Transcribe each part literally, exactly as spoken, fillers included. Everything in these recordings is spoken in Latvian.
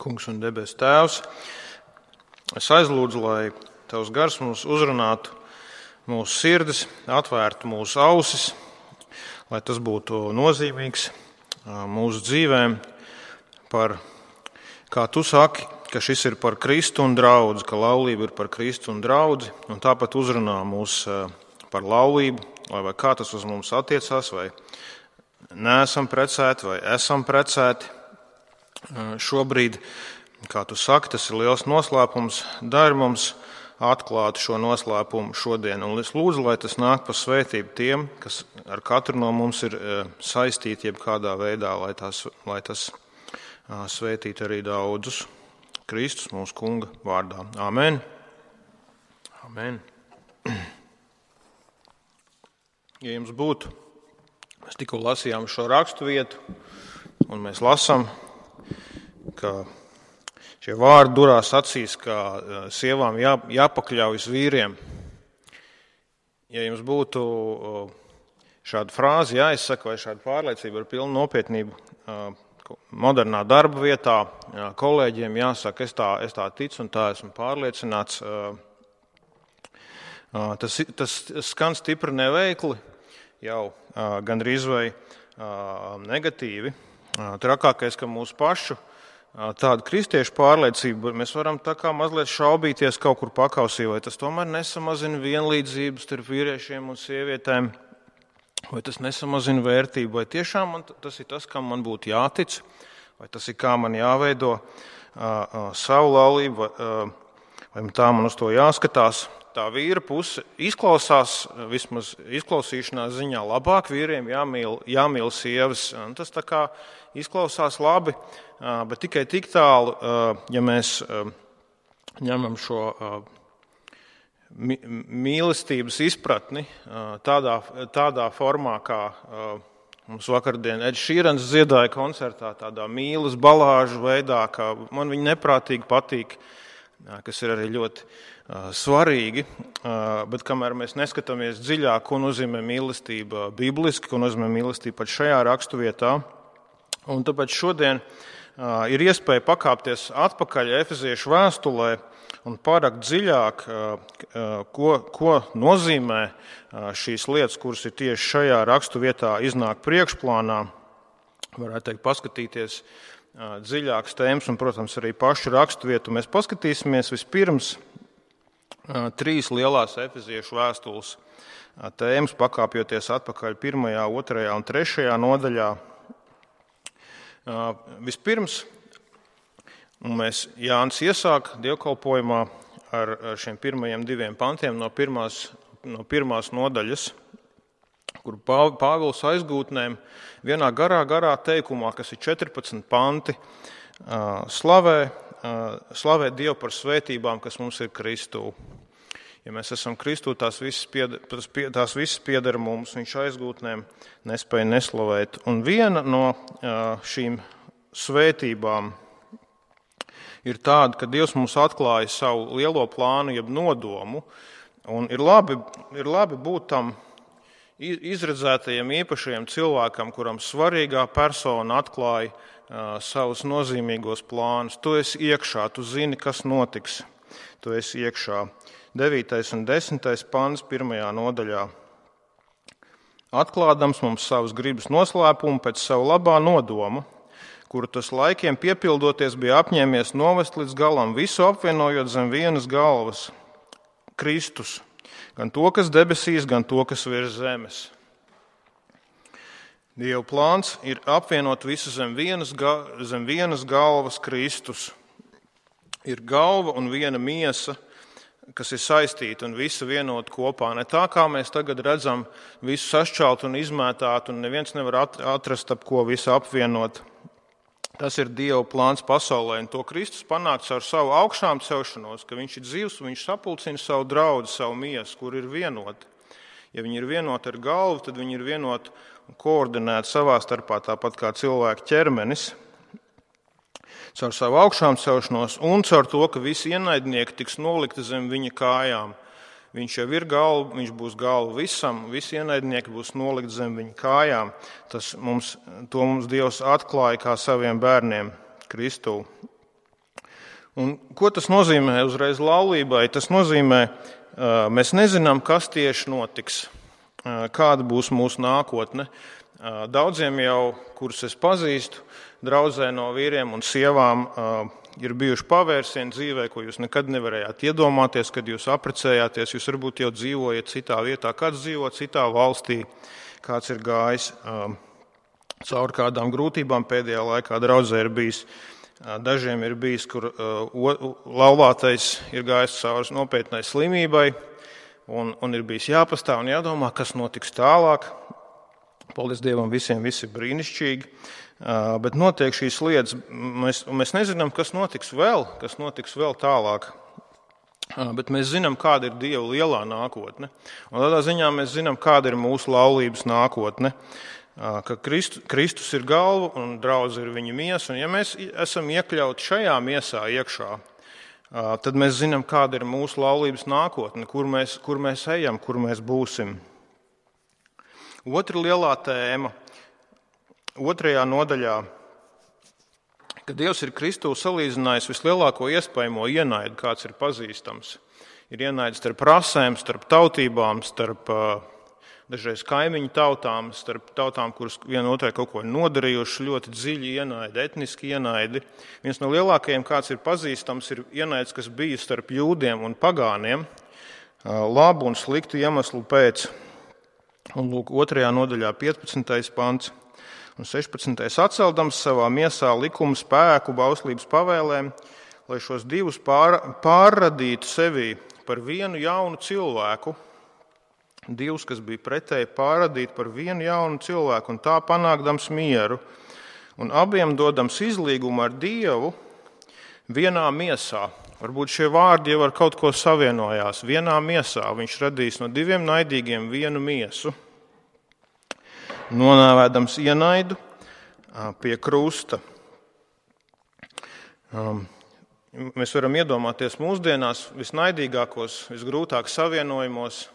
Kungs un debes Tēvs, es aizlūdzu, lai Tavs gars mums uzrunātu mūsu sirdis, atvērtu mūsu ausis, lai tas būtu nozīmīgs mūsu dzīvēm, par, kā Tu saki, ka šis ir par Kristu un draudzi, ka laulība ir par Kristu un draudzi, un tāpat uzrunā mūs par laulību, lai vai kā tas uz mums attiecās, vai neesam precēti, vai esam precēti. Šobrīd, kā Tu saki, tas ir liels noslēpums, dari mums atklāt šo noslēpumu šodien, un es lūdzu, lai tas nāk par svētību tiem, kas ar katru no mums ir saistīti jebkādā veidā, lai, tās, lai tas svētītu arī daudzus. Kristus mūsu Kunga vārdā. Amen. Amen. Ja jums būtu, mēs tikko lasījām šo rakstu vietu, un mēs lasām, ka šie vārdi durās acīs, ka sievām jā, jāpakļaujas vīriem. Ja jums būtu šāda frāze jāizsaka vai šāda pārliecība ar pilnu nopietnību modernā darba vietā, kolēģiem jāsaka, es tā, es tā ticu un tā esmu pārliecināts, tas, tas skan stipri neveikli, jau gandrīz vai negatīvi. Trakākais, ka mūsu pašu tāda kristiešu pārliecība, mēs varam tā kā mazliet šaubīties kaut kur pakausī, vai tas tomēr nesamazina vienlīdzību starp vīriešiem un sievietēm, vai tas nesamazina vērtību, vai tiešām man, tas ir tas, kam man būtu jātic, vai tas ir kā man jāveido uh, uh, savu laulību, vai, uh, vai tā man uz to jāskatās. Tā vīra puse izklausās, vismaz izklausīšanās ziņā, labāk vīriem jāmīl, jāmīl sievas. Tas tā kā izklausās labi, bet tikai tik tālu, ja mēs ņemam šo mīlestības izpratni tādā, tādā formā, kā mums vakardien Ed Šīrans dziedāja koncertā, tādā mīlas balāžu veidā, kā man viņa neprātīgi patīk, kas ir arī ļoti svarīgi, bet kamēr mēs neskatāmies dziļāk, ko nozīmē mīlestība bibliski, ko nozīmē mīlestība pat šajā rakstuvietā. Un tāpēc šodien ir iespēja pakāpties atpakaļ Efeziešu vēstulē un pārāk dziļāk, ko, ko nozīmē šīs lietas, kuras ir tieši šajā rakstuvietā iznāk priekšplānā. Varētu teikt, paskatīties dziļākas tēmas un, protams, arī pašu raksturvietu. Mēs paskatīsimies vispirms trīs lielās Efeziešu vēstules tēmas, pakāpjoties atpakaļ pirmajā, otrajā un trešajā nodaļā. Vispirms mēs Jānis iesāk dievkalpojumā ar šiem pirmajiem diviem pantiem no pirmās, no pirmās nodaļas, kur Pāvils aizgūtnēm vienā garā, garā teikumā, kas ir četrpadsmit panti, slavē, slavē Dievu par svētībām, kas mums ir Kristū. Ja mēs esam Kristū, tās visas pieder, tās visas pieder mums, viņš aizgūtnēm nespēja neslavēt. Un viena no šīm svētībām ir tāda, ka Dievs mums atklāja savu lielo plānu, jeb nodomu, un ir labi, ir labi būt tam izredzētajiem īpašajiem cilvēkam, kuram svarīgā persona atklāja uh, savus nozīmīgos plānus. Tu esi iekšā, tu zini, kas notiks. Tu esi iekšā. devītais un desmitais pants pirmajā nodaļā. Atklādams mums savus gribas noslēpumu pēc savu labā nodoma, kuru tas laikiem piepildoties bija apņēmies novest līdz galam, visu apvienojot zem vienas galvas, Kristus. Gan to, kas debesīs, gan to, kas virs zemes. Dieva plāns ir apvienot visu zem vienas, zem vienas galvas Kristus. Ir galva un viena miesa, kas ir saistīta un visa vienot kopā. Ne tā, kā mēs tagad redzam, visu sašķelt un izmētāt, un neviens nevar atrast, ap ko visu apvienot. Tas ir Dieva plāns pasaulē, un to Kristus panāks ar savu augšām celšanos, ka viņš ir dzīvs, viņš sapulcina savu draudzi, savu miesu, kur ir vienoti. Ja viņi ir vienoti ar galvu, tad viņi ir vienoti un koordinēti savā starpā, tāpat kā cilvēka ķermenis. Caur savu augšām celšanos un caur to, ka visi ienaidnieki tiks nolikti zem viņa kājām. Viņš jau ir galva, viņš būs galva visam, visi ienaidnieki būs nolikt zem viņa kājām. Tas mums, to mums Dievs atklāja kā saviem bērniem Kristū. Un ko tas nozīmē uzreiz laulībai? Tas nozīmē, mēs nezinām, kas tieši notiks, kāda būs mūsu nākotne. Daudziem jau, kurus es pazīstu, draudzē no vīriem un sievām, ir bijuši pavērsieni dzīvē, ko jūs nekad nevarējāt iedomāties, kad jūs apprecējāties. Jūs varbūt jau dzīvojat citā vietā, kāds dzīvo citā valstī, kāds ir gājis caur kādām grūtībām pēdējā laikā draudzē ir bijis. Dažiem ir bijis, kur laulātais ir gājis cauri nopietnai slimībai un, un ir bijis jāpastāv un jādomā, kas notiks tālāk. Paldies Dievam, visiem viss ir brīnišķīgi, bet notiek šīs lietas, mēs, mēs nezinām, kas notiks vēl, kas notiks vēl tālāk, bet mēs zinām, kāda ir Dieva lielā nākotne. Un tādā ziņā mēs zinām, kāda ir mūsu laulības nākotne. Ka Kristu, Kristus ir galva un draudze ir viņa miesa, un ja mēs esam iekļauti šajā miesā iekšā, tad mēs zinām, kāda ir mūsu laulības nākotne, kur mēs, kur mēs ejam, kur mēs būsim. Otra lielā tēma, otrajā nodaļā, ka Dievs ir Kristū salīdzinājis vislielāko iespējamo ienaidu, kāds ir pazīstams. Ir ienaids starp rasēm, starp tautībām, starp dažreiz kaimiņu tautām, starp tautām, kuras viena otrai kaut ko ir nodarījuši, ļoti dziļi ienaidi, etniski ienaidi. Viens no lielākajiem, kāds ir pazīstams, ir ienaids, kas bija starp jūdiem un pagāniem, labu un sliktu iemeslu pēc. Un lūk, otrajā nodaļā piecpadsmitais pants un sešpadsmitais atceldams savā miesā likumu spēku bauslības pavēlēm, lai šos divus pār, pārradītu sevī par vienu jaunu cilvēku, divus, kas bija pretēji pārradīti par vienu jaunu cilvēku, un tā panākdams mieru, un abiem dodams izlīgumu ar Dievu vienā miesā. Varbūt šie vārdi jau ar kaut ko savienojās. Vienā miesā viņš radīs no diviem naidīgiem vienu miesu, nonāvēdams ienaidu pie krusta. Mēs varam iedomāties mūsdienās visnaidīgākos, visgrūtāk savienojumos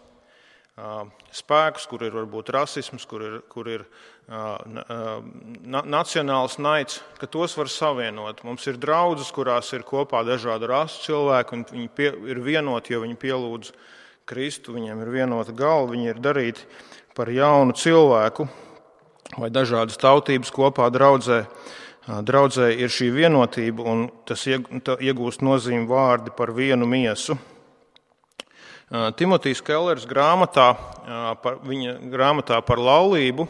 spēkus, kur ir varbūt rasisms, kur ir, kur ir na, nacionāls naids, ka tos var savienot. Mums ir draudzes, kurās ir kopā dažādu rasu cilvēku, un viņi pie, ir vienoti, jo viņi pielūdz Kristu, viņiem ir vienota galva, viņi ir darīti par jaunu cilvēku, vai dažādas tautības kopā draudzē. Draudzē ir šī vienotība, un tas iegūst nozīmi vārdi par vienu miesu. Timotijs Kellers grāmatā, par, viņa grāmatā par laulību,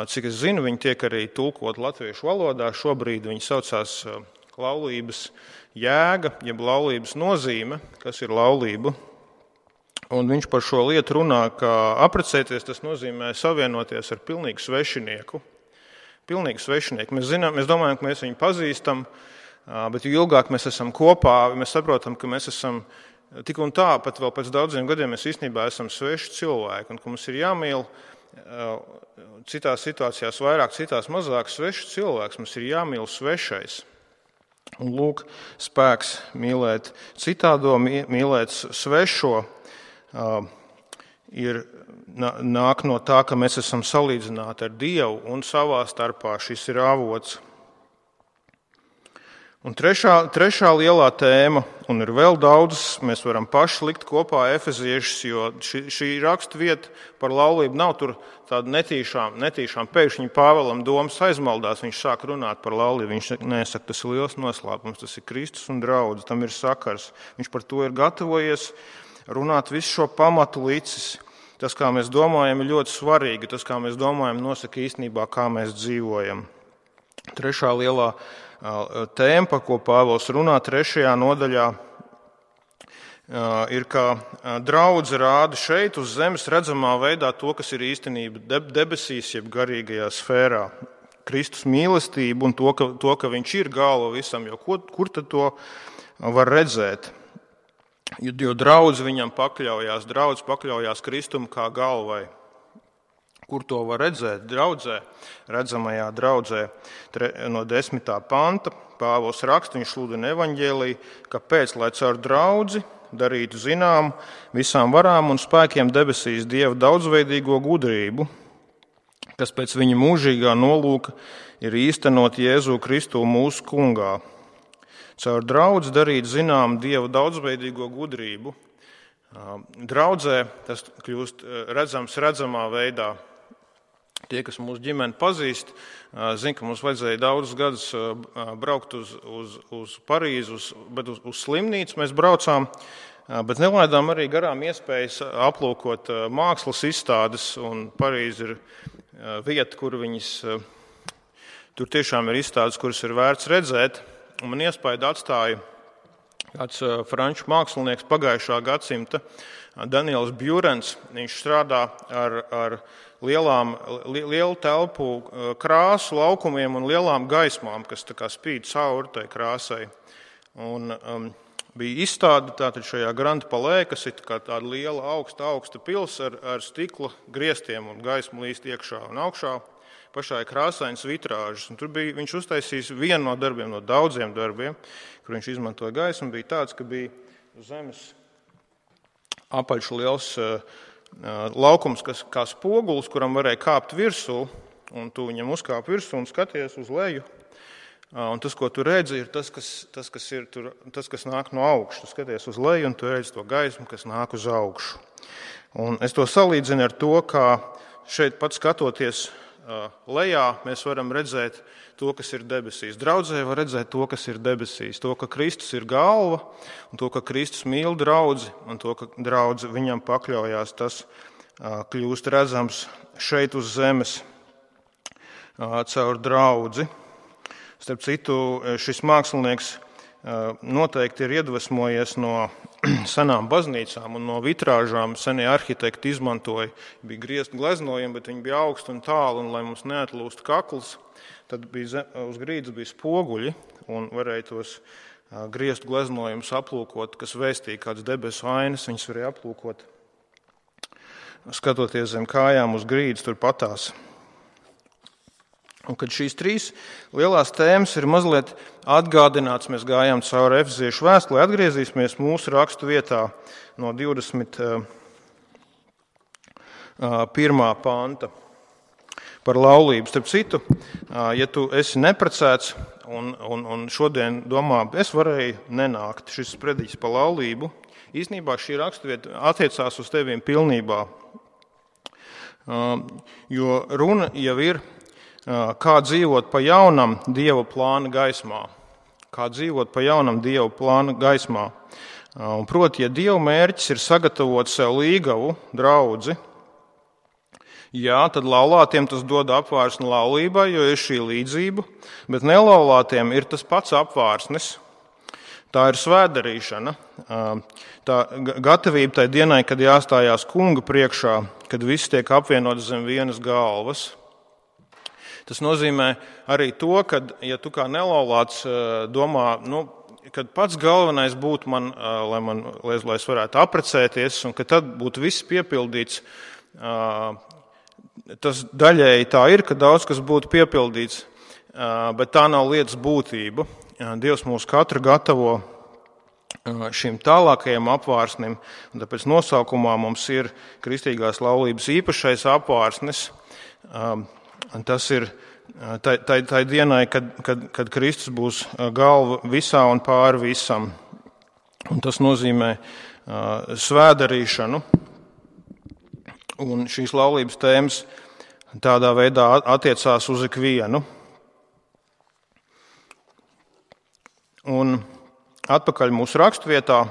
cik es zinu, viņa tiek arī tulkot latviešu valodā. Šobrīd viņa saucās laulības jēga, jeb laulības nozīme, kas ir laulība. Un viņš par šo lietu runā, ka apprecēties tas nozīmē savienoties ar pilnīgu svešinieku. Pilnīgi svešinieki. Mēs zinām, mēs domājam, ka mēs viņu pazīstam, bet jo ilgāk mēs esam kopā, mēs saprotam, ka mēs esam tik un tā, pat vēl pēc daudziem gadiem mēs īstenībā esam sveši cilvēki, un ka mums ir jāmīl citās situācijās vairāk, citās mazāk svešs cilvēks, mums ir jāmīl svešais. Un lūk, spēks mīlēt citādo, mīlēt svešo, ir nāk no tā, ka mēs esam salīdzināti ar Dievu, un savā starpā šis ir avots. Un trešā, trešā lielā tēma, un ir vēl daudzas, mēs varam paši likt kopā efeziešus, jo šī, šī raksta vieta par laulību nav tur tāda netīšām, netīšām pēkšņi Pāvēlam domas aizmaldās, viņš sāk runāt par laulību, viņš nesaka, tas ir liels noslēpums, tas ir Kristus un draudze, tam ir sakars, viņš par to ir gatavojies runāt visu šo pamatu licis. Tas, kā mēs domājam, ir ļoti svarīgi, tas, kā mēs domājam, nosaka īstenībā, kā mēs dzīvojam. Trešā lielā tēma, par ko Pāvils runā trešajā nodaļā, ir, ka draudze rāda šeit uz zemes redzamā veidā to, kas ir īstenība debesīs, jeb garīgajā sfērā. Kristus mīlestību un to, ka, to, ka viņš ir galva visam, jo kur, kur tad to var redzēt? Jo, jo draudze viņam pakļaujās, draudze pakļaujās Kristum kā galvai. Kur to var redzēt? Draudzē, redzamajā draudzē no desmitā panta. Pāvils raksta, viņš sludina evaņģēliju, kāpēc, lai caur draudzi darītu zinām visām varām un spēkiem debesīs Dieva daudzveidīgo gudrību, kas pēc viņa mūžīgā nolūka ir īstenot Jēzu Kristu mūsu kungā. caur draudzi darīt zinām Dieva daudzveidīgo gudrību. Draudzē tas kļūst redzams redzamā veidā. Tie, kas mūsu ģimeni pazīst, zina, ka mums vajadzēja daudzus gadus braukt uz, uz, uz Parīzi, uz, bet uz, uz slimnīcu mēs braucām, bet nelaidām arī garām iespējas aplūkot mākslas izstādes, un Parīzi ir vieta, kur viņas, tur tiešām ir izstādes, kuras ir vērts redzēt, un man iespēja atstāja kāds franču mākslinieks pagājušā gadsimta, Daniels Bjurens. Viņš strādā ar, ar lielām, li, lielu telpu krāsu laukumiem un lielām gaismām, kas tā kā spīd cauri tai krāsai. Un, um, bija izstāde tātad šajā Grand Palais, kas ir kā tāda liela, augsta, augsta pils ar, ar stikla griestiem un gaismu līst iekšā un augšā. Pašā ir krāsains vitrāžas. Un tur bija, viņš uztaisījis vienu no darbiem, no daudziem darbiem, kur viņš izmantoja gaismu. Bija tāds, ka bija uz zemes apaļš liels uh, laukums, kas kā spogulis, kuram varēja kāpt virsū, un tu viņam uzkāp virsū un skaties uz leju. Uh, un tas, ko tu redzi, ir tas, kas, tas, kas, ir tur, tas, kas nāk no augšas. Tu skaties uz leju un tu redzi to gaismu, kas nāk uz augšu. Un es to salīdzinu ar to, kā šeit pat skatoties lejā mēs varam redzēt to, kas ir debesīs. Draudzē var redzēt to, kas ir debesīs. To, ka Kristus ir galva, un to, ka Kristus mīl draudzi, un to, ka draudzi viņam pakļaujās, tas kļūst redzams šeit uz zemes caur draudzi. Starp citu, šis mākslinieks noteikti ir iedvesmojies no senām baznīcām un no vitrāžām. Senie arhitekti izmantoja, bija griezt gleznojumi, bet viņi bija augsti un tālu, un lai mums neatlūst kakls, tad bija, uz grīdas bija spoguļi, un varēja tos griezt gleznojumus aplūkot, kas vēstīja kādas debesu ainas, viņas varēja aplūkot, skatoties zem kājām uz grīdas tur patās. Un kad šīs trīs lielās tēmas ir mazliet atgādināts, mēs gājām cauri Efeziešu vēstulē, atgriezīsimies mūsu rakstu vietā no divdesmit pirmā panta par laulību. Starp citu, ja tu esi neprecēts un, un, un šodien domā, es varēju nenākt, šis prediķis par laulību, īstenībā šī rakstu vieta attiecās uz teviem pilnībā, jo runa jau ir, kā dzīvot pa jaunam Dieva plāna gaismā. Kā dzīvot pa jaunam Dieva plāna gaismā. Un proti, ja Dieva mērķis ir sagatavot sev līgavu, draudzi, jā, tad laulātiem tas dod apvārsni laulībai, jo ir šī līdzība, bet nelaulātiem ir tas pats apvārsnis. Tā ir svētdarīšana, tā gatavība tai dienai, kad jāstājās kunga priekšā, kad viss tiek apvienots zem vienas galvas. Tas nozīmē arī to, ka, ja tu kā nelaulāts domā, nu, kad pats galvenais būtu man, lai, man, lai, lai es varētu apprecēties, un ka tad būtu viss piepildīts, tas daļēji tā ir, ka daudz kas būtu piepildīts, bet tā nav lietas būtība. Dievs mūs katru gatavo šim tālākajam apvārsnim, un tāpēc nosaukumā mums ir kristīgās laulības īpašais apvārsnis. Tas ir tai, tai, tai dienai, kad, kad, kad Kristus būs galva visā un pāri visam. Un tas nozīmē uh, svētdarīšanu. Un šīs laulības tēmas tādā veidā attiecās uz ikvienu. Un atpakaļ mūsu rakstvietā.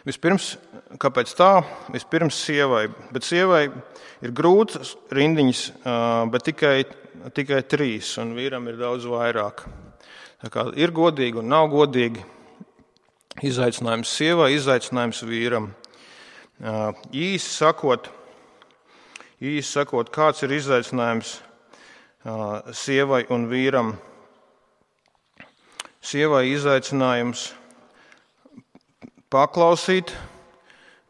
Vispirms, kāpēc tā? Vispirms sievai. Bet sievai ir grūtas rindiņas, bet tikai, tikai trīs, un vīram ir daudz vairāk. Tā kā ir godīgi un nav godīgi. Izaicinājums sievai, izaicinājums vīram. Īsi sakot, īsi sakot, kāds ir izaicinājums sievai un vīram? Sievai izaicinājums paklausīt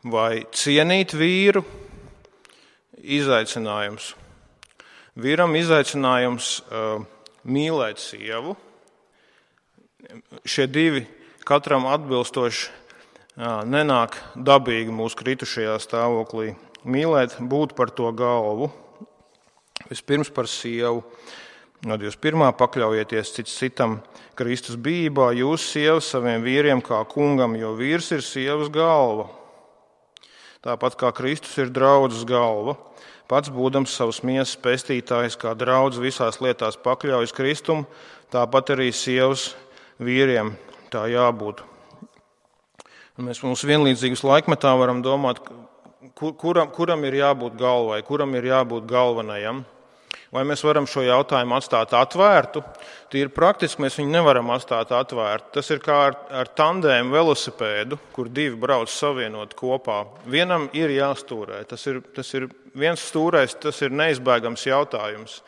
vai cienīt vīru, izaicinājums. Vīram izaicinājums uh, mīlēt sievu. Šie divi katram atbilstoši uh, nenāk dabīgi mūsu kritušajā stāvoklī. Mīlēt, būt par to galvu. Vispirms par sievu. No divdesmit pirmā pakļaujieties cits citam Kristus bijībā, jūs sievas saviem vīriem kā kungam, jo vīrs ir sievas galva. Tāpat kā Kristus ir draudzes galva, pats būdams savas miesas pestītājs, kā draudz visās lietās pakļaujas Kristum, tāpat arī sievas vīriem tā jābūt. Un mēs mums vienlīdzīgus laikmetā varam domāt, kur, kuram, kuram ir jābūt galvai, kuram ir jābūt galvenajam. Vai mēs varam šo jautājumu atstāt atvērtu? Tīri praktiski mēs viņu nevaram atstāt atvērtu. Tas ir kā ar, ar tandēmu velosipēdu, kur divi brauc savienot kopā. Vienam ir jāstūrē. Tas ir, tas ir viens stūrēs, tas ir neizbēgams jautājums.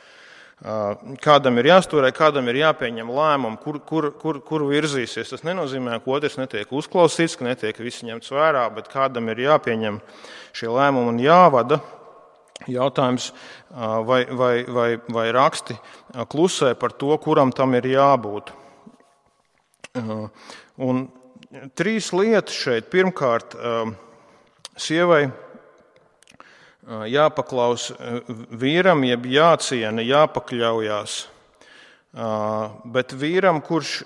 Kādam ir jāstūrē, kādam ir jāpieņem lēmumu, kur, kur, kur, kur virzīsies. Tas nenozīmē, ka otrs netiek uzklausīts, ka netiek visi ņemts vērā, bet kādam ir jāpieņem šie lēmumi un jāvada. Jautājums, vai, vai, vai, vai raksti klusē par to, kuram tam ir jābūt. Un trīs lietas šeit. Pirmkārt, sievai jāpaklaus vīram, jeb jāciena, jāpakļaujās. Bet vīram, kurš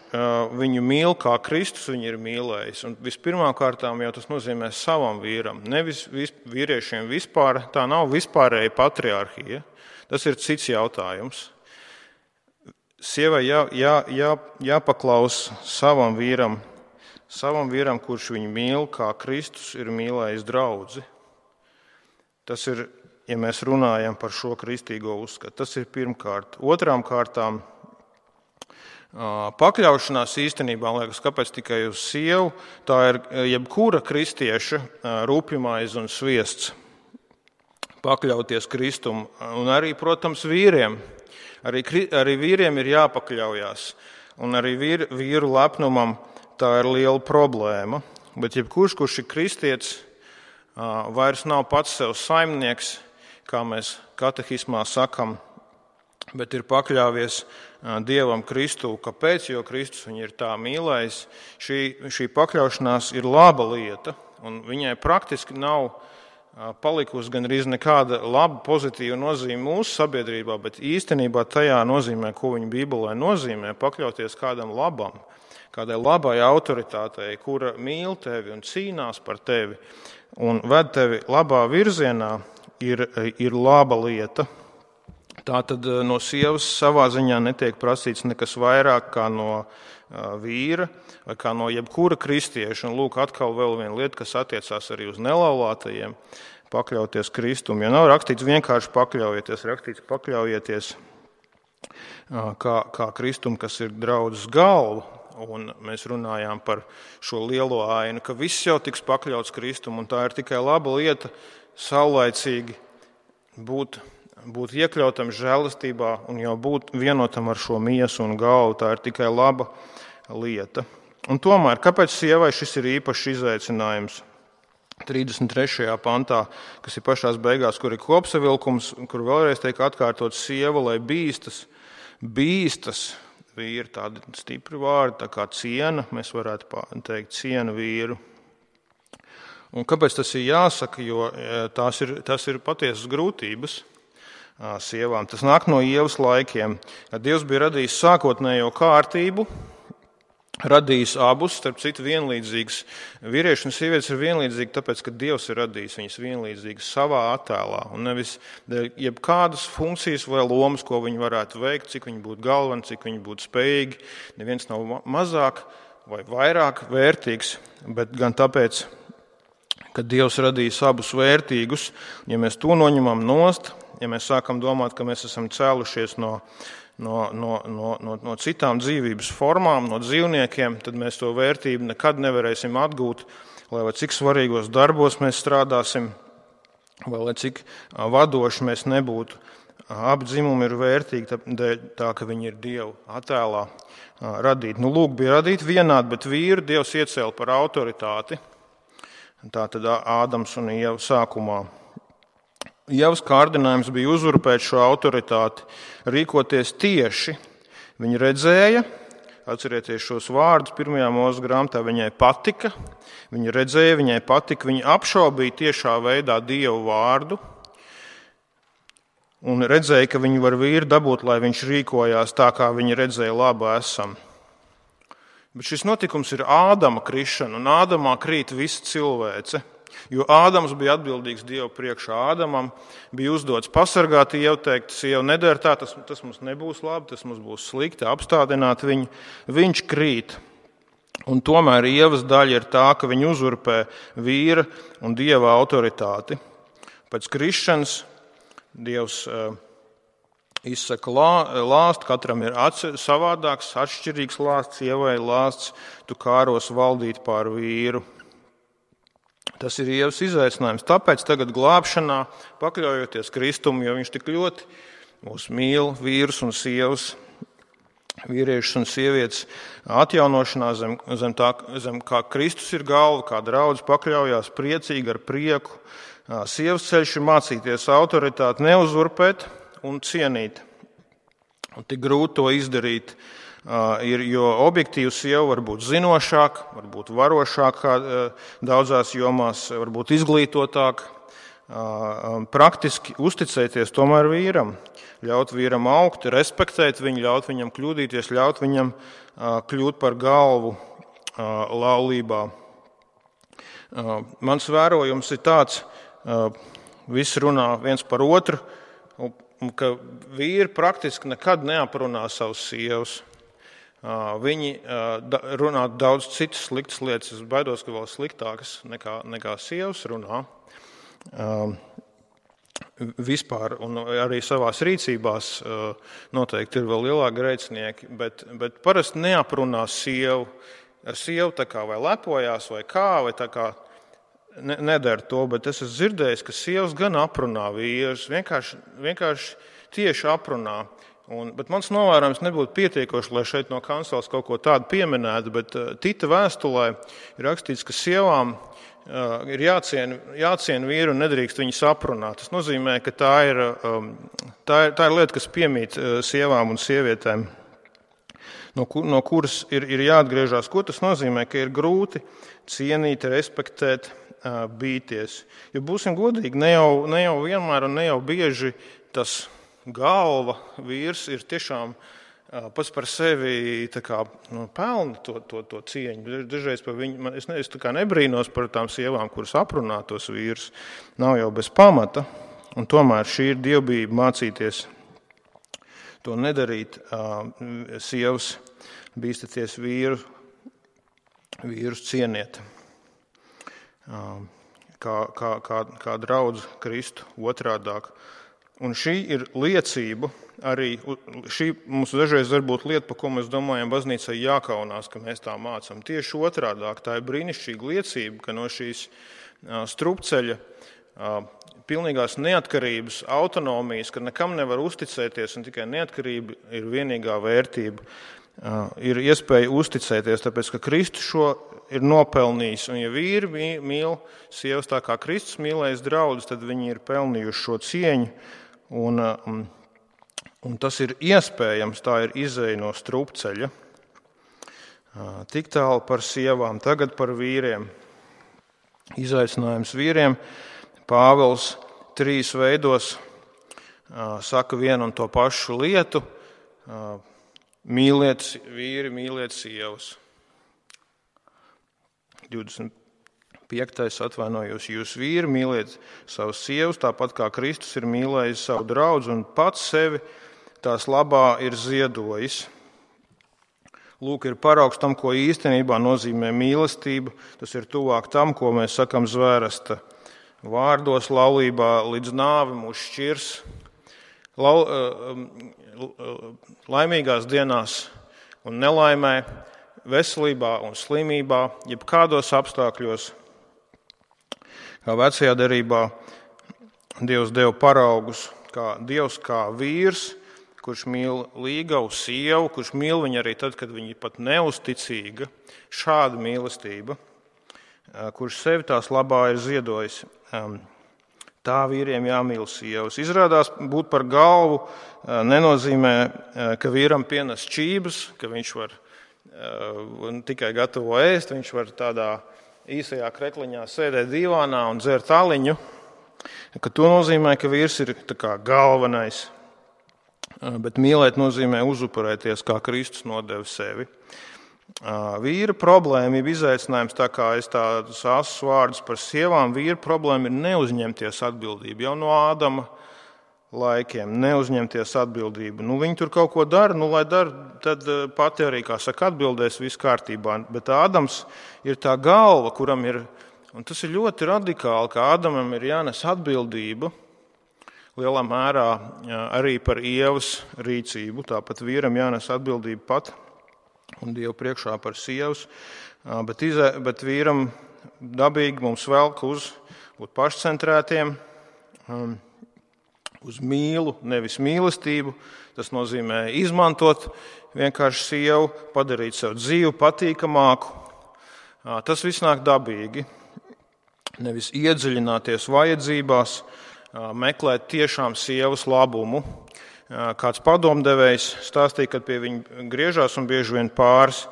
viņu mīl kā Kristus viņu ir mīlējis. Un vispirmām kārtām jau tas nozīmē savam vīram. Nevis vis, vīriešiem vispār, tā nav vispārēja patriarhija. Tas ir cits jautājums. Sievai jā, jā, jā, jāpaklaus savam vīram, savam vīram, kurš viņu mīl kā Kristus ir mīlējis draudzi. Tas ir, ja mēs runājam par šo kristīgo uzskatu, tas ir pirmkārt. Otrām kārtām, pakļaušanās īstenībā, liekas, kāpēc tikai uz sievu, tā ir jebkura kristieša rupjumaize un sviests. Pakļauties Kristum un arī, protams, vīriem. Arī, arī vīriem ir jāpakļaujās. Un arī vīr, vīru lepnumam tā ir liela problēma. Bet jebkurš, kurš ir kristietis, vairs nav pats sev saimnieks, kā mēs katehismā sakam, bet ir pakļāvies Dievam Kristu. Kāpēc? Jo Kristus viņu ir tā mīlējis. Šī, šī pakļaušanās ir laba lieta, un viņai praktiski nav palikusi gandrīz nekāda laba, pozitīva nozīme mūsu sabiedrībā, bet īstenībā tajā nozīmē, ko viņa Bībelē nozīmē, pakļauties kādam labam, kādai labai autoritātei, kura mīl tevi un cīnās par tevi un ved tevi labā virzienā, ir, ir laba lieta. Tātad no sievas savā ziņā netiek prasīts nekas vairāk kā no vīra vai kā no jebkura kristieša. Un lūk, atkal vēl viena lieta, kas attiecās arī uz nelaulātajiem, pakļauties Kristum. Jo nav rakstīts vienkārši pakļaujieties, rakstīts pakļaujieties kā, kā Kristum, kas ir draudzes galva. Un mēs runājām par šo lielo ainu, ka viss jau tiks pakļauts Kristum, un tā ir tikai laba lieta saulaicīgi būt, būt iekļautam žēlastībā un jau būt vienotam ar šo miesu un galvu. Tā ir tikai laba lieta. Un tomēr, kāpēc sievai šis ir īpašs izaicinājums? trīsdesmit trešajā pantā, kas ir pašās beigās, kur ir kopsavilkums, kur vēlreiz tiek atkārtots sieva, lai bīstas, bīstas, vīri, tādi stipri vārdi, tā kā ciena, mēs varētu teikt ciena vīru. Un kāpēc tas ir jāsaka? Jo tās ir, tas ir patiesas grūtības sievām. Tas nāk no Ievas laikiem, kad Dievs bija radījis sākotnējo kārtību, radījis abus, starp citu vienlīdzīgas. Vīrieši un sievietes ir vienlīdzīgi, tāpēc, ka Dievs ir radījis viņas vienlīdzīgas savā attēlā. Un nevis jebkādas funkcijas vai lomas, ko viņi varētu veikt, cik viņi būtu galveni, cik viņi būtu spējīgi. Neviens nav mazāk vai vairāk vērtīgs, bet gan tāpēc, ka Dievs radījis abus vērtīgus. Ja mēs to noņemam nost, ja mēs sākam domāt, ka mēs esam cēlušies no No, no, no, no, no citām dzīvības formām, no dzīvniekiem, tad mēs to vērtību nekad nevarēsim atgūt, lai vai cik svarīgos darbos mēs strādāsim, vai lai cik vadoši mēs nebūtu. Abi dzimumi ir vērtīgi, tā, tā ka viņi ir Dievu attēlā radīti. Nu, lūk, bija radīti vienādi, bet vīru Dievs iecēla par autoritāti. Tā tad Ādams un Ieva sākumā. Ievas kārdinājums bija uzurpēt šo autoritāti, rīkoties tieši. Viņa redzēja, atcerieties šos vārdus, pirmajā Mūzes grāmatā viņai patika, viņa redzēja, viņai patika, viņa apšaubīja tiešā veidā Dievu vārdu, un redzēja, ka viņi var vīru dabūt, lai viņš rīkojās tā, kā viņi redzēja labu esam. Bet šis notikums ir Ādama krišana, un Ādamā krīt visa cilvēce. Jo Ādams bija atbildīgs Dievu priekšā. Ādamam bija uzdots pasargāt ievu, teikt, sieva nedara tā, tas, tas mums nebūs labi, tas mums būs slikti, apstādināt viņu. Viņš krīt. Un tomēr ievas daļa ir tā, ka viņa uzurpē vīra un Dieva autoritāti. Pēc krišanas Dievs uh, izsaka lā, lāstu, katram ir atse, savādāks, atšķirīgs lāsts, ievai lāsts, tu kāros valdīt pār vīru. Tas ir Ievas izaicinājums. Tāpēc tagad glābšanā, pakļaujoties Kristum, jo viņš tik ļoti mūs mīl, vīrus un sievas, vīriešus un sievietes atjaunošanā zem, zem, tā, zem kā Kristus ir galva, kā draudz pakļaujās priecīgi ar prieku. Sievas ceļš ir mācīties autoritāti, neuzurpēt un cienīt. Un tik grūti to izdarīt. Uh, ir, jo objektīva sieva var būt zinošāka, var būt varošāka uh, daudzās jomās, var būt izglītotāka, uh, praktiski uzticēties tomēr vīram, ļaut vīram augt, respektēt viņu, ļaut viņam kļūdīties, ļaut viņam uh, kļūt par galvu uh, laulībā. Uh, mans vērojums ir tāds, uh, visi runā viens par otru, un ka vīri praktiski nekad neaprunā savus sievas. Viņi runā daudz citas sliktas lietas, es baidos, ka vēl sliktākas nekā, nekā sievas runā. Vispār, un arī savās rīcībās noteikti ir vēl lielāki grēcinieki, bet, bet parasti neaprunā sievu. Ar sievu tā kā vai lepojās, vai kā, vai tā kā ne, nedara to, bet es esmu dzirdējis, ka sievas gan aprunā vīrus, vienkārši, vienkārši tieši aprunā. Un, bet mans novērojums nebūtu pietiekoši, lai šeit no kanceles kaut ko tādu pieminētu, bet uh, Tita vēstulē ir rakstīts, ka sievām uh, ir jāciena, jāciena vīru un nedrīkst viņus aprunāt. Tas nozīmē, ka tā ir, um, tā ir, tā ir lieta, kas piemīt uh, sievām un sievietēm, no, kur, no kuras ir, ir jāatgriežās. Ko tas nozīmē? Ka ir grūti cienīt, respektēt, uh, bīties. Jo būsim godīgi, ne jau, ne jau vienmēr un ne jau bieži tas galva, vīrs ir tiešām pats par sevi tā kā, nu, pelna to, to, to cieņu. Dažreiz par viņu, man, es, ne, es tā kā nebrīnos par tām sievām, kuras aprunā tos vīrus, nav jau bez pamata, un tomēr šī ir dievbijība mācīties to nedarīt, sievas bīstaties vīru, vīrus cieniet, kā, kā, kā, kā draudz Kristu otrādāk. Un šī ir liecība, arī šī mums dažreiz var būt lieta, par ko mēs domājam, baznīcai jākaunās, ka mēs tā mācām. Tieši otrādāk, tā ir brīnišķīga liecība, ka no šīs strupceļa pilnīgās neatkarības, autonomijas, ka nekam nevar uzticēties un tikai neatkarība ir vienīgā vērtība, ir iespēja uzticēties, tāpēc, ka Kristus šo ir nopelnījis. Un ja vīri mīl sievas tā kā Kristus mīlējis draudus, tad viņi ir pelnījuši šo cieņu. Un, un, un tas ir iespējams, tā ir izeja no strupceļa. Tik tālu par sievām, tagad par vīriem. Izaicinājums vīriem. Pāvils trīs veidos saka vienu un to pašu lietu. Mīliet vīri, mīliet sievas. divdesmit piektais atvainojos, jūs vīri mīliet savus sievas, tāpat kā Kristus ir mīlējis savu draudzi un pats sevi tās labā ir ziedojis. Lūk, ir paraugs tam, ko īstenībā nozīmē mīlestība. Tas ir tuvāk tam, ko mēs sakam zvērsta vārdos, laulībā līdz nāvi mūs šķirs. Lau, laimīgās dienās un nelaimē, veselībā un slimībā, jeb kādos apstākļos, kā vecajā derībā, Dievs deva paraugus, kā Dievs kā vīrs, kurš mīl līgavu sievu, kurš mīl viņu arī tad, kad viņa pat neusticīga, šāda mīlestība, kurš sevi tās labā ir ziedojis. Tā vīriem jāmīl sievas. Izrādās būt par galvu nenozīmē, ka vīram pienes čības, ka viņš var un tikai gatavo ēst, viņš var tādā īsajā kretliņā sēdēt divānā un dzert aliņu. ka to nozīmē, ka vīrs ir tā kā galvenais, bet mīlēt nozīmē uzupurēties, kā Kristus nodeva sevi. Vīra problēma ir izaicinājums, tā kā es tādus asus vārdus par sievām, vīra problēma ir neuzņemties atbildību. Jau no Ādama laikiem neuzņemties atbildību. Nu, viņi tur kaut ko dara, nu, lai dara, tad pati arī, kā saka, atbildēs viss kārtībā. Bet Ādams ir tā galva, kuram ir, un tas ir ļoti radikāli, ka Ādamam ir jānes atbildība lielā mērā arī par Ievas rīcību. Tāpat vīram jānes atbildība pat un Dievu priekšā par sievas, bet, izē, bet vīram dabīgi mums velk uz būt pašcentrētiem, uz mīlu, nevis mīlestību. Tas nozīmē izmantot vienkārši sievu, padarīt sev dzīvi patīkamāku. Tas viss nāk dabīgi, nevis iedziļināties vajadzībās, meklēt tiešām sievas labumu. Kāds padomdevējs stāstīja, kad pie viņa griežās un bieži vien pāris,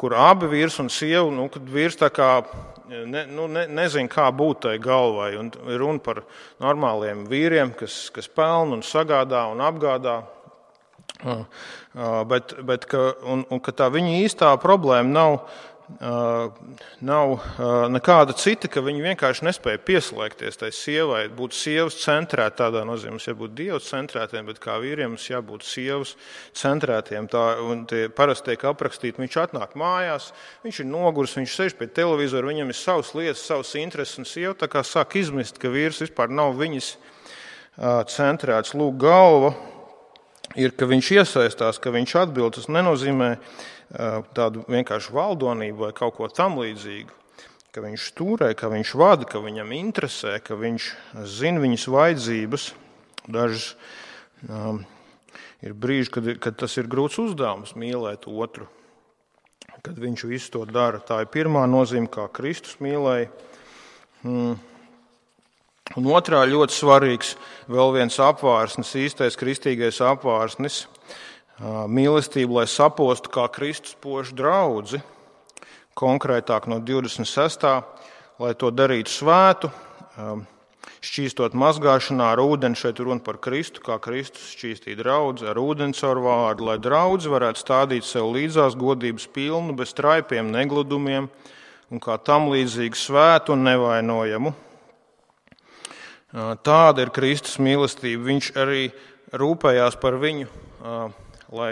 kur abi vīrs un sieva, nu, kad vīrs tā kā ne, nu, ne, nezin, kā būt tai galvai. Un ir runa par normāliem vīriem, kas, kas pelna un sagādā un apgādā. Bet, bet ka, un, un ka tā viņa īstā problēma nav, nav nekāda cita, ka viņi vienkārši nespēja pieslēgties tai sievai, būt sievas centrēt, tādā nozīmē, mums jābūt Dievs centrētiem, bet kā vīriem mums jābūt sievas centrētiem. Tā, un tie parasti tiek aprakstīti, viņš atnāk mājās, viņš ir noguris, viņš sēž pie televizora, viņam ir savas lietas, savas intereses, un sieva tā kā sāk izmist, ka vīrs vispār nav viņas centrēts. Lūk, galva ir, ka viņš iesaistās, ka viņš atbild, tas nenozīmē tādu vienkārši valdonību vai kaut ko tam līdzīgu, ka viņš stūrē, ka viņš vada, ka viņam interesē, ka viņš zina viņas vajadzības. Dažas um, ir brīži, kad, kad tas ir grūts uzdevums mīlēt otru, kad viņš visu to dara. Tā ir pirmā nozīme, kā Kristus mīlēja. Hmm. Un otrā ļoti svarīgs, vēl viens apvārsnis, īstais kristīgais apvārsnis, mīlestību, lai sapostu, kā Kristus pož draudzi, konkrētāk no divdesmit sestā, lai to darītu svētu, šķīstot mazgāšanā ar ūdeni, šeit runa par Kristu, kā Kristus šķīstīja draudzi ar ūdeni caur vārdu, lai draudzi varētu stādīt sev līdzās godības pilnu, bez traipiem, negludumiem un kā tam līdzīgi svētu un nevainojamu. Tāda ir Kristus mīlestība. Viņš arī rūpējās par viņu, lai,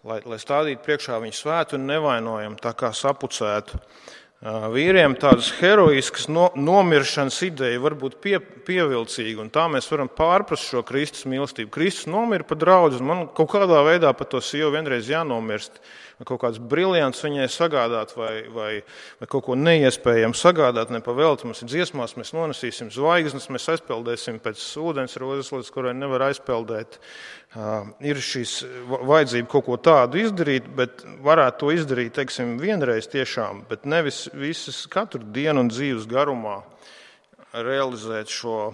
lai, lai stādītu priekšā viņu svētu un nevainojamu, tā kā sapucētu. Vīriem tādas heroiskas no, nomiršanas ideja var būt pie, pievilcīga, un tā mēs varam pārprast šo Kristus mīlestību. Kristus nomira par draudzi, un man kaut kādā veidā par to sievu vienreiz jānomirst, vai kaut kāds briljants viņai sagādāt, vai, vai, vai kaut ko neiespējami sagādāt, nepavēlti. Mums ir dziesmās, mēs nonesīsim zvaigznes, mēs aizpeldēsim pēc ūdens rozes, līdz kurai nevar aizpeldēt. Uh, ir šīs vajadzība kaut ko tādu izdarīt, bet varētu to izdarīt, teiksim, vienreiz tiešām, bet nevis visas katru dienu un dzīves garumā realizēt šo uh,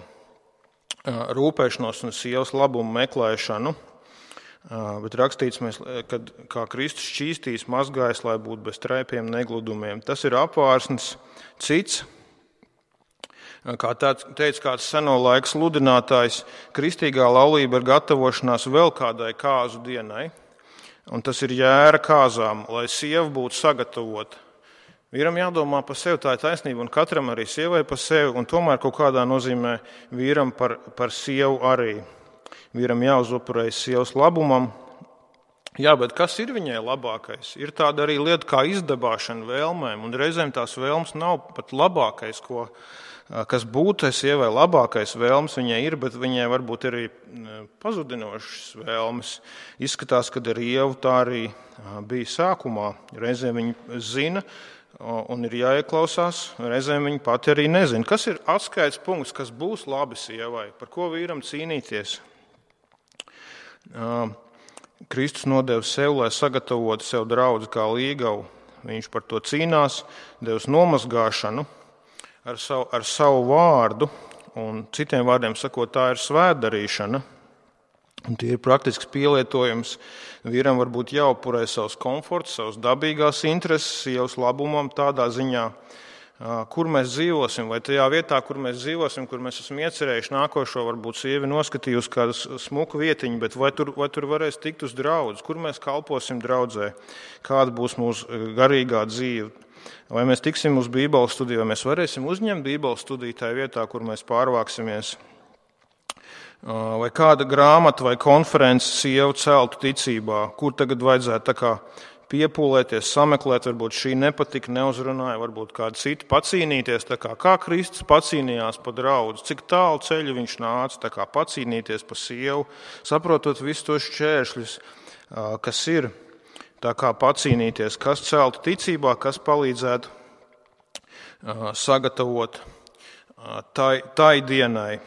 rūpēšanos un sievas labumu meklēšanu. Uh, bet rakstīts, mēs, kad kā Kristus šķīstīs, mazgājis, lai būtu bez traipiem, negludumiem. Tas ir apvārsnis cits. Kā teica kāds seno laiku sludinātājs, kristīgā laulība ir gatavošanās vēl kādai kāzu dienai, un tas ir jēra kāzām, lai sieva būtu sagatavota. Vīram jādomā par sevi, tā ir taisnība, un katram arī sievai par sevi, un tomēr kaut kādā nozīmē vīram par, par sievu arī. Vīram jāuzupurējas sievas labumam. Jā, bet kas ir viņai labākais? Ir tāda arī lieta kā izdabāšana vēlmēm, un reizēm tās vēlmes nav pat labākais, ko, kas būtu tai sievai labākais vēlmes viņai ir, bet viņai varbūt arī pazudinošas vēlmes. Izskatās, ka ar Ievu tā arī bija sākumā. Reizēm viņa zina un ir jāieklausās, reizēm viņa pati arī nezina. Kas ir atskaites punkts, kas būs labi sievai? Par ko vīram cīnīties? Kristus nodeva sev, lai sagatavotu sev draudzi kā līgavu. Viņš par to cīnās, devis nomazgāšanu ar savu, ar savu vārdu, un citiem vārdiem sakot, tā ir svētdarīšana. Un tie ir praktisks pielietojums. Vīram varbūt jāupurē savs komforts, savas dabīgās intereses, sievas labumam tādā ziņā, kur mēs dzīvosim, vai tajā vietā, kur mēs dzīvosim, kur mēs esam iecerējuši nākošo, varbūt sievi noskatījusi kādu smuku vietiņu, bet vai tur, vai tur varēs tikt uz draudzi, kur mēs kalposim draudzē, kāda būs mūsu garīgā dzīve. Vai mēs tiksim uz Bībeles studiju, vai mēs varēsim uzņemt Bībeles studiju tajā vietā, kur mēs pārvāksimies. Vai kāda grāmata vai konferences sievu celtu ticībā, kur tagad vajadzētu tā kā piepūlēties, sameklēt, varbūt šī nepatika, neuzrunāja, varbūt kāda cita pacīnīties, tā kā, kā Kristus pacīnījās pa draudzi, cik tālu ceļu viņš nāca, tā kā pacīnīties pa sievu, saprotot visus tos šķēršļus, kas ir, tā kā pacīnīties, kas celtu ticībā, kas palīdzētu sagatavot tai, tai dienai,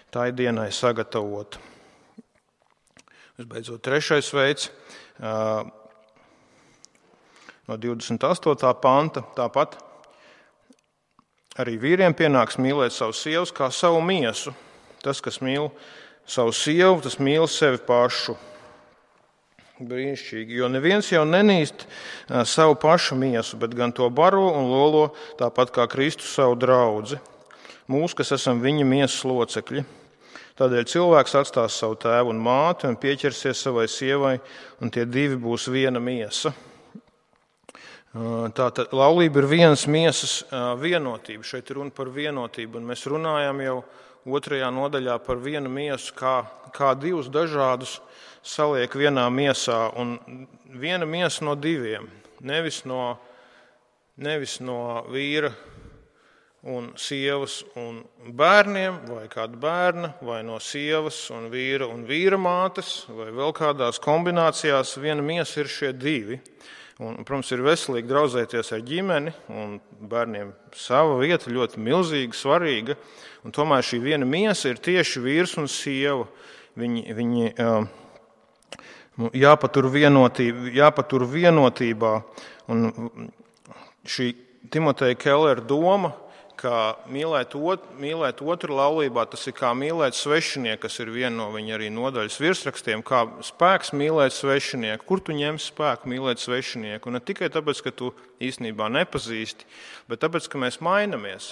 tai dienai sagatavot. Visbeidzot, trešais veids, no divdesmit astotā panta, tāpat arī vīriem pienāks mīlēt savu sievas kā savu miesu. Tas, kas mīl savu sievu, tas mīl sevi pašu. Brīnišķīgi, jo neviens jau nenīst savu pašu miesu, bet gan to baro un lolo, tāpat kā Kristus savu draudzi. Mūs, kas esam viņa miesas locekļi. Tādēļ cilvēks atstās savu tēvu un māti un pieķersies savai sievai, un tie divi būs viena miesa. Tātad laulība ir vienas miesas vienotība. Šeit ir runa par vienotību, un mēs runājam jau otrajā nodaļā par vienu miesu, kā, kā divus dažādus saliek vienā miesā, un viena miesa no diviem, nevis no, nevis no vīra un sievas un bērniem, vai kāda bērna, vai no sievas un vīra un vīra mātes, vai vēl kādās kombinācijās, viena miesa ir šie divi. Un, protams, ir veselīgi draudzēties ar ģimeni, un bērniem sava vieta ļoti milzīga, svarīga, un tomēr šī viena miesa ir tieši vīrs un sieva. Viņi, viņi jāpatur vienotībā, jāpatur vienotībā, un šī Timoteja Kellera doma, ka mīlēt, ot, mīlēt otru laulībā, tas ir kā mīlēt svešinieku, kas ir viena no viņa arī nodaļas virsrakstiem, kā spēks mīlēt svešinieku. Kur tu ņem spēku mīlēt svešinieku? Un ne tikai tāpēc, ka tu īstenībā nepazīsti, bet tāpēc, ka mēs mainamies.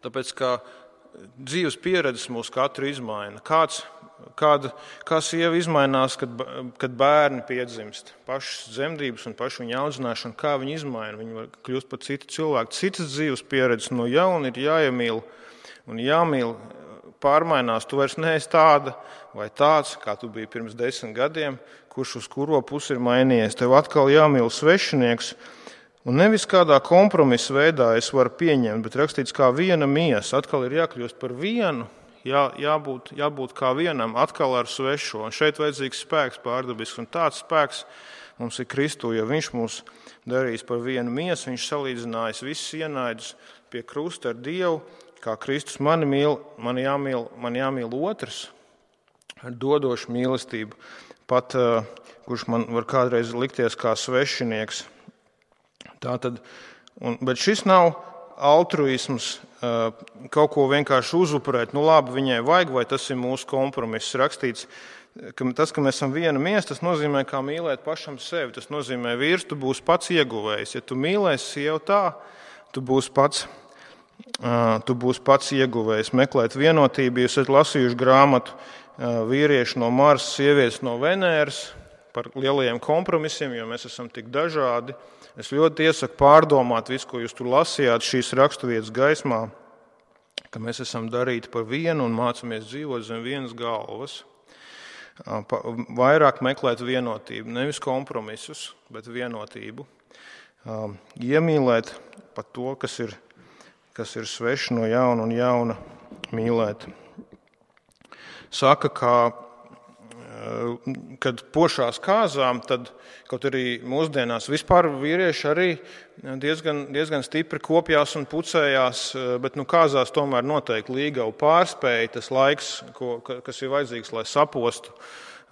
Tāpēc, ka dzīves pieredzes mūs katru izmaina. Kāds, kāda, kā sieva izmainās, kad, kad bērni piedzimst, pašas dzemdības un pašu viņa audzināšana, kā viņi izmaina, viņi var kļūst par citu cilvēku. Citas dzīves pieredzes no jauna ir jāiemīl un jāmīl, pārmainās. Tu vairs neesi tāda vai tāds, kā tu biji pirms desmit gadiem, kurš uz kuro pusi ir mainījies. Tev atkal jāmīl svešinieks, un nevis kādā kompromisa veidā es varu pieņemt, bet rakstīts kā viena miesa, atkal ir jākļūst par vienu. Jā, jābūt, jābūt kā vienam, atkal ar svešo. Un šeit vajadzīgs spēks pārdabisks, un tāds spēks mums ir Kristū, jo viņš mūs darīs par vienu miesu, viņš salīdzinājis visus ienaidus pie krusta ar Dievu, kā Kristus mani mīl, man jāmīl, man jāmīl otrs ar dodošu mīlestību, pat uh, kurš man var kādreiz likties kā svešinieks. Tātad, un, bet šis nav altruisms, kaut ko vienkārši uzupurēt, nu labi, viņai vajag, vai tas ir mūsu kompromiss. Rakstīts, ka tas, ka mēs esam viena miesa, tas nozīmē, kā mīlēt pašam sevi. Tas nozīmē, vīrs, tu būsi pats ieguvējs. Ja tu mīlēsi sievu tā, tu būsi pats, tu būsi pats ieguvējs. Meklēt vienotību, jūs esat lasījuši grāmatu vīrieši no Marsa, sievietes no Venēras, par lielajiem kompromisiem, jo mēs esam tik dažādi. Es ļoti iesaku pārdomāt visu, ko jūs tur lasījāt šīs raksturvietas gaismā, ka mēs esam darīti par vienu un mācāmies dzīvot zem vienas galvas. Vairāk meklēt vienotību, nevis kompromisus, bet vienotību. Iemīlēt pat to, kas ir, kas ir sveši no jauna un jauna mīlēt. Saka, ka kad pošās kāzām, tad, kaut arī mūsdienās vispār vīrieši arī diezgan, diezgan stipri kopjās un pucējās, bet nu, kāzās tomēr noteikti līgavu pārspēja tas laiks, ko, kas ir vajadzīgs, lai sapostu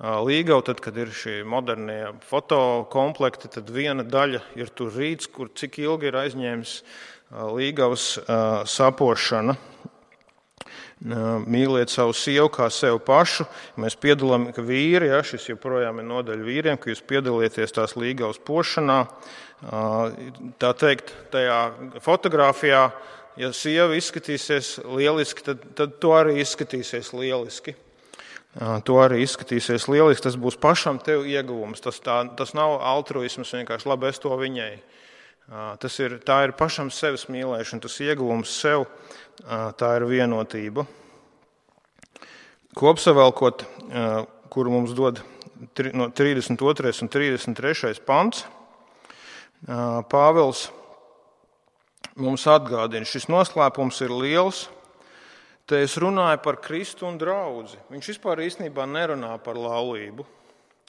līgavu. Tad, kad ir šie modernie fotokomplekti, tad viena daļa ir tur rīts, kur cik ilgi ir aizņēmis līgavas sapošana. Mīliet savu sievu kā sev pašu. Mēs piedalām, ka vīri, ja, šis joprojām ir nodaļa vīriem, ka jūs piedalieties tās līgavas pošanā. Tā teikt, tajā fotogrāfijā, ja sieva izskatīsies lieliski, tad, tad to arī izskatīsies lieliski. To arī izskatīsies lieliski, tas būs pašam tev ieguvums. Tas, tā, tas nav altruisms, vienkārši labi, es to viņai. Tas ir, tā ir pašam sevis mīlēšana, tas ieguvums sev, tā ir vienotība. Kopsavēlkot, kuru mums dod no trīsdesmit otrais un trīsdesmit trešais pants, Pāvils mums atgādina, šis noslēpums ir liels. Te es runāju par Kristu un draudzi. Viņš vispār īstenībā nerunā par laulību.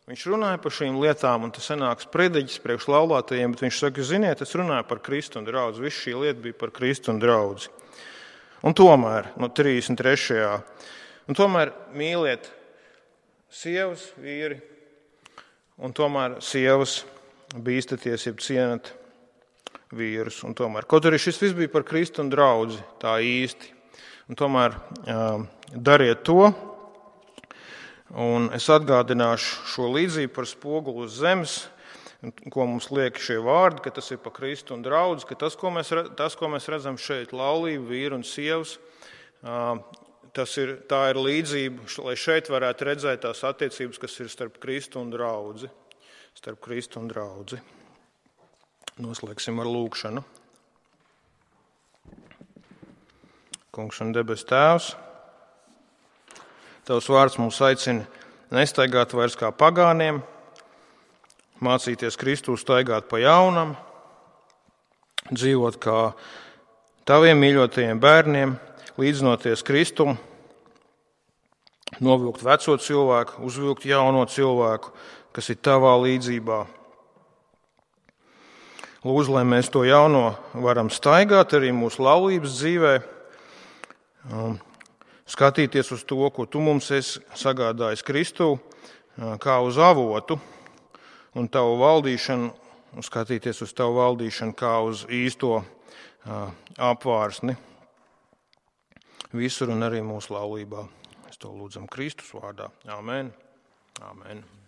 Viņš runāja par šīm lietām, un tas sanāks prediķis priekš laulātajiem, bet viņš saka, ziniet, es runāju par Kristu un draudzi. Viss šī lieta bija par Kristu un draudzi. Un tomēr, no trīsdesmit trešajā un tomēr mīliet sievas, vīri, un tomēr sievas bīstaties, jeb cienat vīrus. Un tomēr, kaut arī šis viss bija par Kristu un draudzi, tā īsti. Un tomēr dariet to, un es atgādināšu šo līdzību par spoguli uz zemes, ko mums liek šie vārdi, ka tas ir par Kristu un draudzi, ka tas, ko mēs, tas, ko mēs redzam šeit, laulība, vīri un sievas, tas ir, tā ir līdzība, lai šeit varētu redzēt tās attiecības, kas ir starp Kristu un draudzi. Starp Kristu un draudzi. Noslēgsim ar lūgšanu. Kungs un debes Tēvs, Tavs vārds mums aicina nestaigāt vairs kā pagāniem, mācīties Kristu staigāt pa jaunam, dzīvot kā Taviem mīļotajiem bērniem, līdzinoties Kristum, novilkt veco cilvēku, uzvilkt jauno cilvēku, kas ir Tavā līdzībā. Lūdzu, lai mēs to jauno varam staigāt arī mūsu laulības dzīvē, skatīties uz to, ko Tu mums esi sagādājis Kristu, kā uz avotu, un Tavu valdīšanu, un skatīties uz Tavu valdīšanu kā uz īsto apvārsni visur un arī mūsu laulībā. Mēs to lūdzam Kristus vārdā. Āmen. Āmen.